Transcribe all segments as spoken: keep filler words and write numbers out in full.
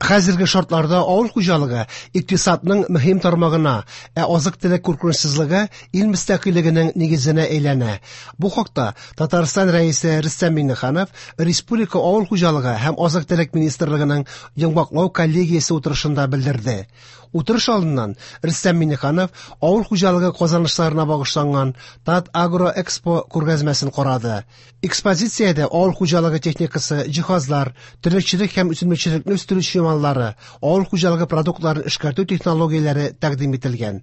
Хәзерге шартларда авыл хуҗалыгы икътисадның мөһим тармагына, ә азык-төлек куркынычсызлыгы ил мөстәкыйльлегенең нигезенә әйләнә. Бу хакта Татарстан Рәисе Рөстәм Миңнеханов Республика авыл хуҗалыгы һәм азык-төлек министрлыгының йомгаклау коллегиясе утырышында белдерде. Утырыш алдыннан Рөстәм Миңнеханов авыл хуҗалыгы казанышларына багышланган Татагроэкспо күргәзмәсен карады. Экспозициядә авыл хуҗалыгы техникасы, җиһазлар, терлекчелек һәм үсемлекчелекне үстерү чималлары, авыл хуҗалыгы продуктларын эшкәртү технологияләре тәкъдим ителгән.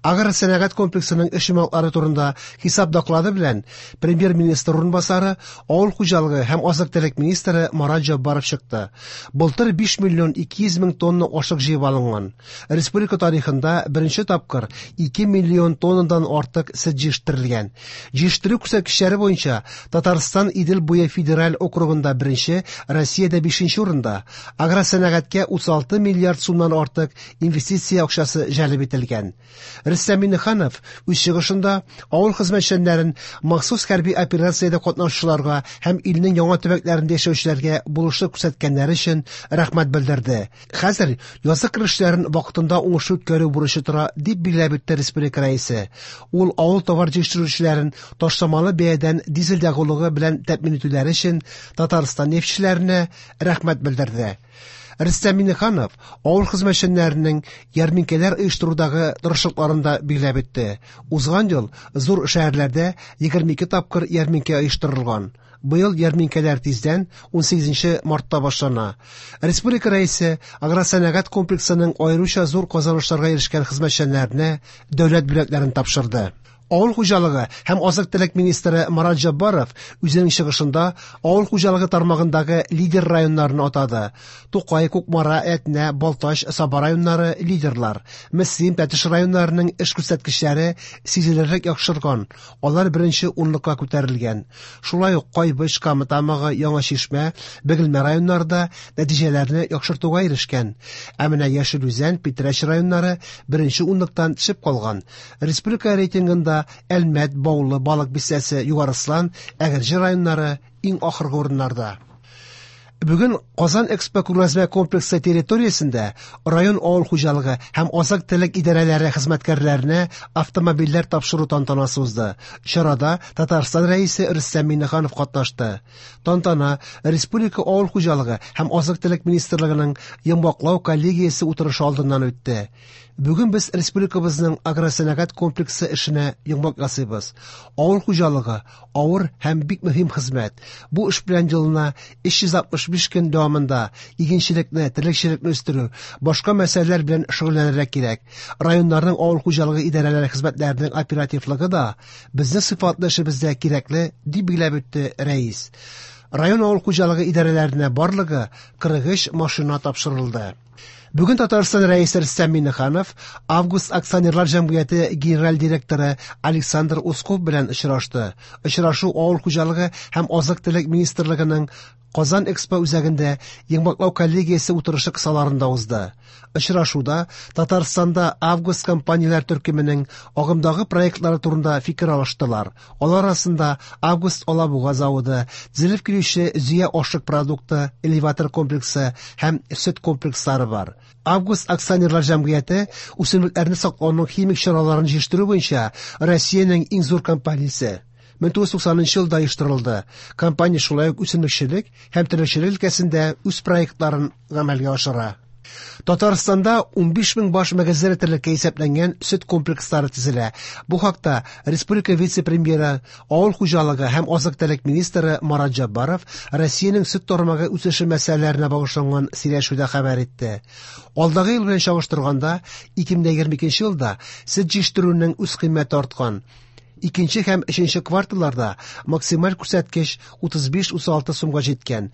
Агросәнәгать комплексының эш йомгаклары турында хисап доклады белән премьер-министр урынбасары, авыл хуҗалыгы һәм азык-төлек министры Марат Җаббаров чыкты. Былтыр биш миллион ике йөз мең тонна ашык җыеп алынган. Республика тарихында беренче тапкыр ике миллион тоннадан артык сөт җитештерелгән. Җитештерү күрсәткечләре буенча Татарстан Идел буе федераль округында беренче, Россиядә бишенче урында. Агросәнәгатькә утыз алты миллиард сумнан артык инвестиция акчасы җәлеп ителгән. Рөстәм Миңнеханов үз чыгышында авыл хезмәтчәннәрен махсус хәрби операциядә катнашучыларга һәм илнең яңа төбәкләрендә яшәүчеләргә булышлык күрсәткәннәре өчен рәхмәт белдерде. Хәзер язгы кыр эшләрен вакытында уңышлы үткәрү бурычы тора, дип билгеләп үтте республика рәисе. Ул авыл товар җитештерүчеләрен ташламалы бәядән дизель ягулыгы белән тәэмин итүләре өчен Татарстан нефтьчеләренә рәхмәт белдерде. Рөстәм Миңнеханов авыл хезмәтчәннәренең ярминкәләр оештырудагы тырышлыкларын да билгеләп үтте. Узган ел зур шәһәрләрдә егерме ике тапкыр ярминкә оештырылган. Быел ярминкәләр тиздән ун сигезенче мартта башлана. Республика рәисе агросәнәгать комплексының аеруча зур казанышларга ирешкән хезмәтчәннәренә дәүләт бүләкләрен тапшырды. Авыл хуҗалыгы һәм азык-төлек министры Марат Җаббаров үзенең чыгышында авыл хуҗалыгы тармагындагы лидер районнарын атады. Тукай, Кукмара, Әтнә, Балтач, Саба районнары лидерлар. Мөслим, Тәтеш районнарының эш күрсәткечләре сизелерлек яхшырган. Алар беренче унлыкка күтәрелгән. Шулай ук Кайбыч, Кама Тамагы, Яңа Чишмә, Бөгелмә районнары да нәтиҗәләрне яхшыртуга ирешкән. Ә менә Яшел Үзән, Питрәч районнары беренче унлыктан төшеп калган. Республика рейтингында Әлмәт, Баулы, Балык Бистәсе, Югарыслан, Әгерҗе районнары иң ахыргы урыннарда. Бүген Казан Экспо күргәзмә комплексы территориясендә район авыл хуҗалыгы һәм азык-төлек идарәләре хезмәткәрләренә автомобильләр тапшыру тантанасы узды. Чарада Татарстан Рәисе Рөстәм Миңнеханов катнашты. Тантана Республика авыл хуҗалыгы һәм азык-төлек министрлыгының йомгаклау коллегиясе утырышы алдыннан үтте. Бүген без республикабызның агросәнәгать комплексы эшенә йомгак ясыйбыз. Авыл хуҗалыгы авыр һәм бик мөһим хезмәт. Бу эш белән елына өч йөз алтмыш биш көн дәвамында игенчелекне, терлекчелекне үстерү, башка мәсьәләләр белән шөгыльләнергә кирәк. Районнарның авыл хуҗалыгы идарәләре хезмәтләренең оперативлыгы да безнең сыйфатлы эшебездә кирәкле, дип билгеләп үтте рәис. Район авыл хуҗалыгы идарәләренә барлыгы кырык өч машина тапшырылды. Бүген Татарстан Рәисе Рөстәм Миңнеханов Август акционерлар җәмгыяте генераль директоры Александр Усков белән очрашты. Очрашу авыл хуҗалыгы һәм азык-төлек министрлыгының Казан Экспо үзәгендә йомгаклау коллегиясе утырышы кысаларында узды. Очрашуда Татарстанда Август компанияләр төркеменең агымдагы проектлары турында фикер алыштылар. Алар арасында Август Алабуга заводы, төзелеп килүче Зөя ашык продукты, элеватор комплексы һәм сөт комплекслары бар. Август акционерлар җәмгыяте үсемлекләрне саклауның химик чараларын җитештерү буенча Россиянең иң зур компаниясе. Мең тугыз йөз туксанынчы елда оештырылды. Компания шулай ук үсемлекчелек һәм терлекчелек өлкәсендә үз проектларын гамәлгә ашыра. Татарстанда унбиш мең баш мөгезле терлеккә исәпләнгән сөт комплекслары төзелә. Бу хакта республика вице-премьеры, авыл хуҗалыгы һәм азык-төлек министры Марат Җаббаров Россиянең сөт тармагы үсеше мәсьәләләренә багышланган сөйләшүдә хәбәр итте. Алдагы ел белән чагыштырганда, ике мең егерме икенче елда сөт җитештерүнең үз кыйммәте арткан. Икенче һәм өченче кварталларда максималь күрсәткеч утыз биш утыз алты сумга җиткән.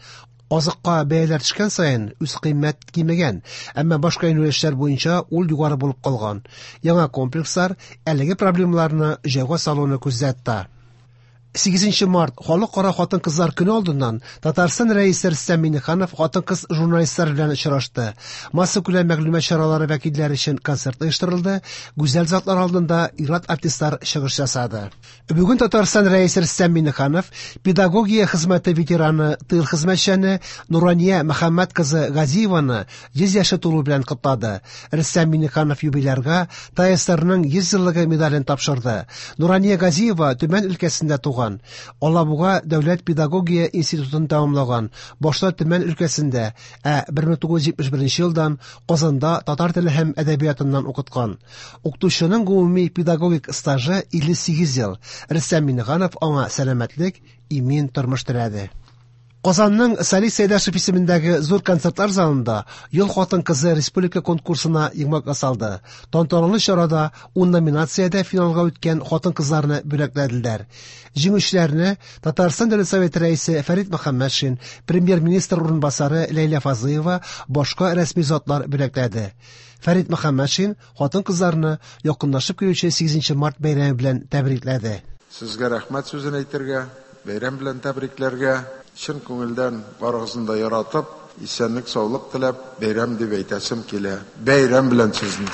Азыкка бәяләр төшкән саен үз кыйммәт кимегән, әмма башка юнәлешләр буенча ул югары булып калган. Яңа комплекслар әлеге проблемаларны җайга салуны күздә тота. Сигезенче март Халыкара хатын-кызлар көне алдыннан Татарстан Рәисе Рөстәм Миңнеханов хатын-кыз журналистлар белән очрашты. Массакүләм мәгълүмат чаралары вәкилләре өчен концерт оештырылды, гүзәл затлар алдында ир-ат артистлар чыгыш ясады. Бүген Татарстан Рәисе Рөстәм Миңнеханов педагогия хезмәте ветераны, тыл хезмәтчәне Нурания Мөхәммәт кызы Газиеваны йөз яше тулу белән котлады. Рөстәм Миңнеханов юбилярга ТАССРның йөз еллыгы медален тапшырды. Нурания Газиева Төмән өлкәсендә туган. Алабуга дәүләт педагогия институтын тәмамлаган, башта Төмән өлкәсендә, ә бер мең тугыз йөз җитмеш беренче елдан Казанда татар теле һәм әдәбиятыннан укыткан. Укытучының гомуми педагогик стажы илле сигез ел. Рөстәм Миңнеханов аңа сәламәтлек, имин тормыш теләде. Казанның Салих Сәйдәшев исемендәге зур концертлар залында Ел хатын-кызы республика конкурсына йомгак ясалды. Тантаналы чарада ун номинациядә финалга үткән хатын-кызларны бүләкләделәр. Җиңүчеләрне Татарстан Дәүләт Советы рәисе Фәрит Мөхәммәтшин, премьер-министр урынбасары Ләйлә Фазлыева, башка рәсми затлар бүләкләде. Фәрит Мөхәммәтшин хатын-кызларны якынлашып килүче сигезенче март бәйрәме белән тәбрикләде. Сезгә рәхмәт сүзен әйтергә, бәйрәм белән тәбрикләргә, чын күңелдән барыгызны да яратып, исәнлек, саулык теләп, бәйрәм дип әйтәсем килә. Бәйрәм белән сезне.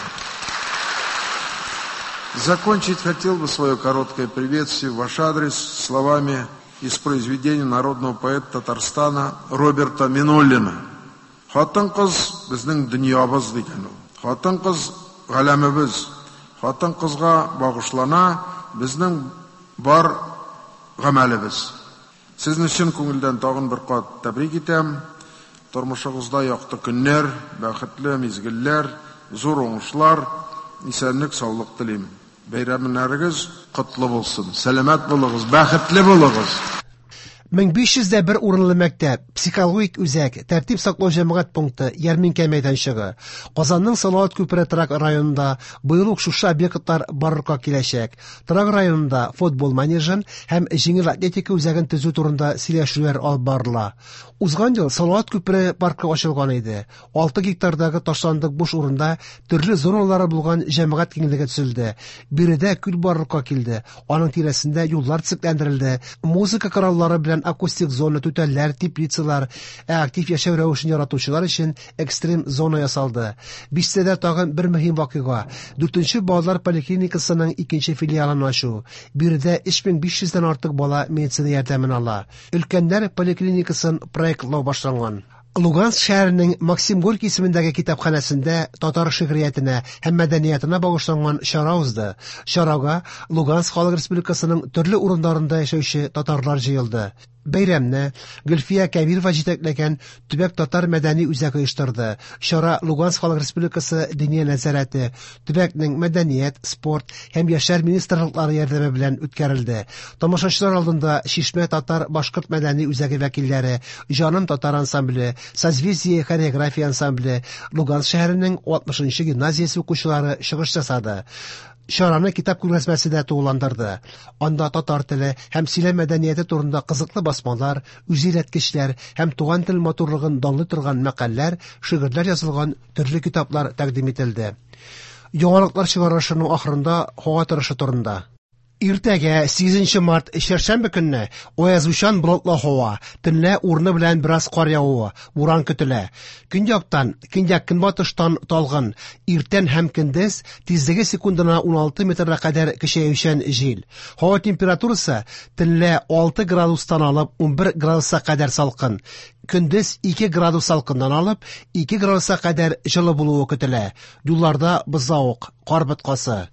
Закончить хотел бы свое короткое приветствие в ваш адрес словами из произведения народного поэта Татарстана Роберта Минуллина. Хатын-кыз безнең дөньябыз дигән ул. Хатын-кыз галәмебез. Хатын-кызга багышлана безнең бар гамәлебез. Сезне чын күңелдән тагын бер кат тәбрик итәм. Тормышыгызда якты көннәр, бәхетле мизгелләр, зур уңышлар, исәнлек, саулык телим. Бәйрәмнәрегез котлы булсын. Сәламәт булыгыз, бәхетле булыгыз. Мең биш йөз дә бер урынлы мәктәп, психологик үзәк, тәртип саклау җәмәгать пункты, ярминкә мәйданчыгы. Казанның Салават күпере торак районында быел ук шушы объектлар барлыкка киләчәк. Торак районында футбол манежын һәм җиңел атлетика үзәген төзү турында сөйләшүләр алып барыла. Узган ел Салават күпере паркы ачылган иде. Алты гектардагы ташландык буш урында төрле зоналары булган җәмәгать киңлеге төзелде. Биредә күл барлыкка килде. Аның тирәсендә юллар төзекләндерелде. Музыка кораллары белән акустик зона, түтәлләр, теплицалар, ә актив яшәү рәвешен яратучылар өчен экстрем зона ясалды. Бистәдә тагын бер мөһим вакыйга. Дүртенче балалар поликлиникасының икенче филиалын ачу. Биредә өч мең биш йөздән артык бала медицина ярдәмен ала. Өлкәннәр поликлиникасын проектлау башланган. Луганск шәһәренең Максим Горький исемендәге китапханәсендә татар шигъриятенә һәм мәдәниятына багышланган чара узды. Чарага Луганск Халык Республикасының төрле урыннарында яшәүче татарлар җыелды. Бәйрәмне Гөлфия Кәбирова җитәкләгән төбәк татар мәдәни үзәге оештырды. Чара Луганск Халык Республикасы Диния нәзарәте, төбәкнең мәдәният, спорт һәм яшьләр министрлыклары ярдәме белән үткәрелде. Тамашачылар алдында Чишмә татар башкорт мәдәни үзәге вәкилләре, Җаным татар ансамбле, Созвездие хореография ансамбле, Луганск шәһәренең алтмышынчы гимназиясе укучылары чыгыш ясады. Чараны китап күргәзмәсе дә тулыландырды. Анда татар теле һәм сөйләм мәдәнияте турында кызыклы басмалар, үзөйрәткечләр һәм туган тел матурлыгын данлый торган мәкальләр, шигырьләр язылган төрле китаплар тәкъдим ителде. Яңалыклар чыгарылышының ахырында һава торышы турында. Иртәгә сигезенче март чәршәмбе көнне аязучан болытлы һава, төнлә урыны белән бераз кар явуы, буран көтелә. Көньяктан, көньяк-көнбатыштан талгын, иртән һәм көндез тизлеге секундына ун алты метрга кадәр көчәючән җил. Һава температурасы төнлә алты градустан алып ун бер градуска кадәр салкын. Көндез ике градус салкыннан алып ике градуска кадәр җылы булуы көтелә. Юлларда бозлавык, кар боткасы.